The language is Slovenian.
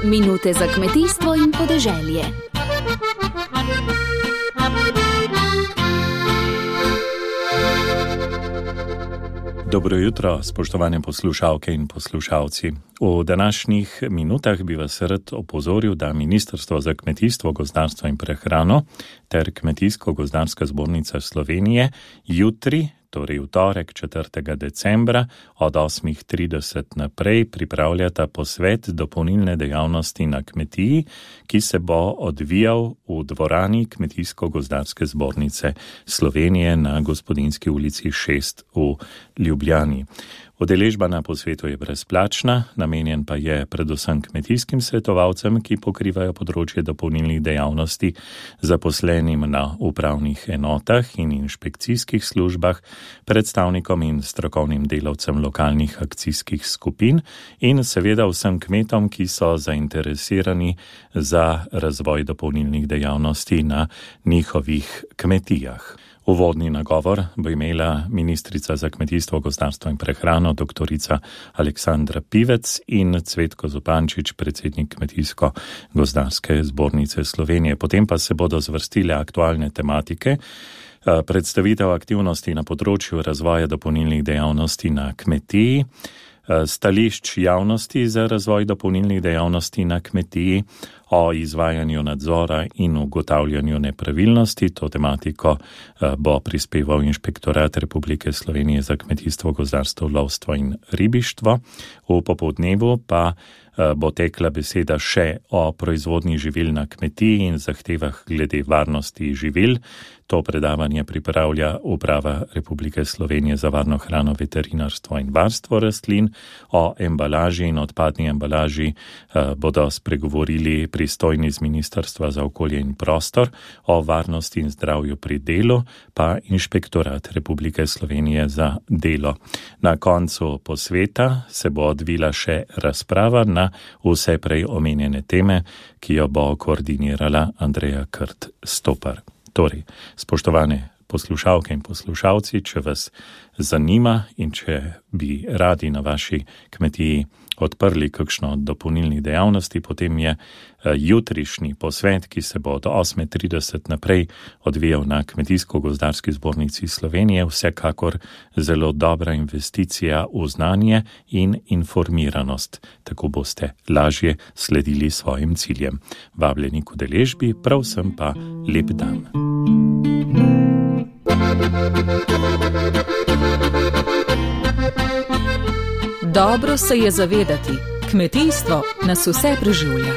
Minute za kmetijstvo in podeželje. Dobro jutro, spoštovane poslušalke in poslušalci. V današnjih minutah bi vas rad opozoril, da Ministrstvo za kmetijstvo, gozdarstvo in prehrano ter Kmetijsko-gozdarska zbornica Slovenije jutri, torej v torek 4. decembra od 8:30 naprej pripravljata posvet dopolnilne dejavnosti na kmetiji, ki se bo odvijal v dvorani Kmetijsko-gozdarske zbornice Slovenije na Gospodinski ulici 6 v Ljubljani. Udeležba na posvetu je brezplačna, namenjen pa je predvsem kmetijskim svetovalcem, ki pokrivajo področje dopolnilnih dejavnosti, zaposlenim na upravnih enotah in inšpekcijskih službah, predstavnikom in strokovnim delavcem lokalnih akcijskih skupin in seveda vsem kmetom, ki so zainteresirani za razvoj dopolnilnih dejavnosti na njihovih kmetijah. Uvodni nagovor bo imela ministrica za kmetijstvo, gozdarstvo in prehrano dr. Aleksandra Pivec in Cvetko Zupančič, predsednik Kmetijsko-gozdarske zbornice Slovenije. Potem pa se bodo zvrstile aktualne tematike, predstavitev aktivnosti na področju razvoja dopolnilnih dejavnosti na kmetiji, stališč javnosti za razvoj dopolnilnih dejavnosti na kmetiji, o izvajanju nadzora in ugotavljanju nepravilnosti. To tematiko bo prispeval Inšpektorat Republike Slovenije za kmetijstvo, gozdarstvo, lovstvo in ribištvo. V popoldnevu pa bo tekla beseda še o proizvodnji živil na kmetiji in zahtevah glede varnosti živil. To predavanje pripravlja Uprava Republike Slovenije za varno hrano, veterinarstvo in varstvo rastlin. O embalaži in odpadni embalaži bodo spregovorili pristojni z Ministrstva za okolje in prostor, o varnosti in zdravju pri delu pa Inšpektorat Republike Slovenije za delo. Na koncu posveta se bo odvila še razprava na vse prej omenjene teme, ki jo bo koordinirala Andreja Krt-Stopar. Torej, spoštovane poslušalke in poslušalci, če vas zanima in če bi radi na vaši kmetiji odprli kakšno od dopolnilnih dejavnosti, potem je jutrišnji posvet, ki se bo od 8:30 naprej odvijal na Kmetijsko-gozdarski zbornici Slovenije, vsekakor zelo dobra investicija v znanje in informiranost. Tako boste lažje sledili svojim ciljem. Vabljeni k udeležbi, prav vsem pa lep dan. Dobro se je zavedati, kmetijstvo nas vse preživlja.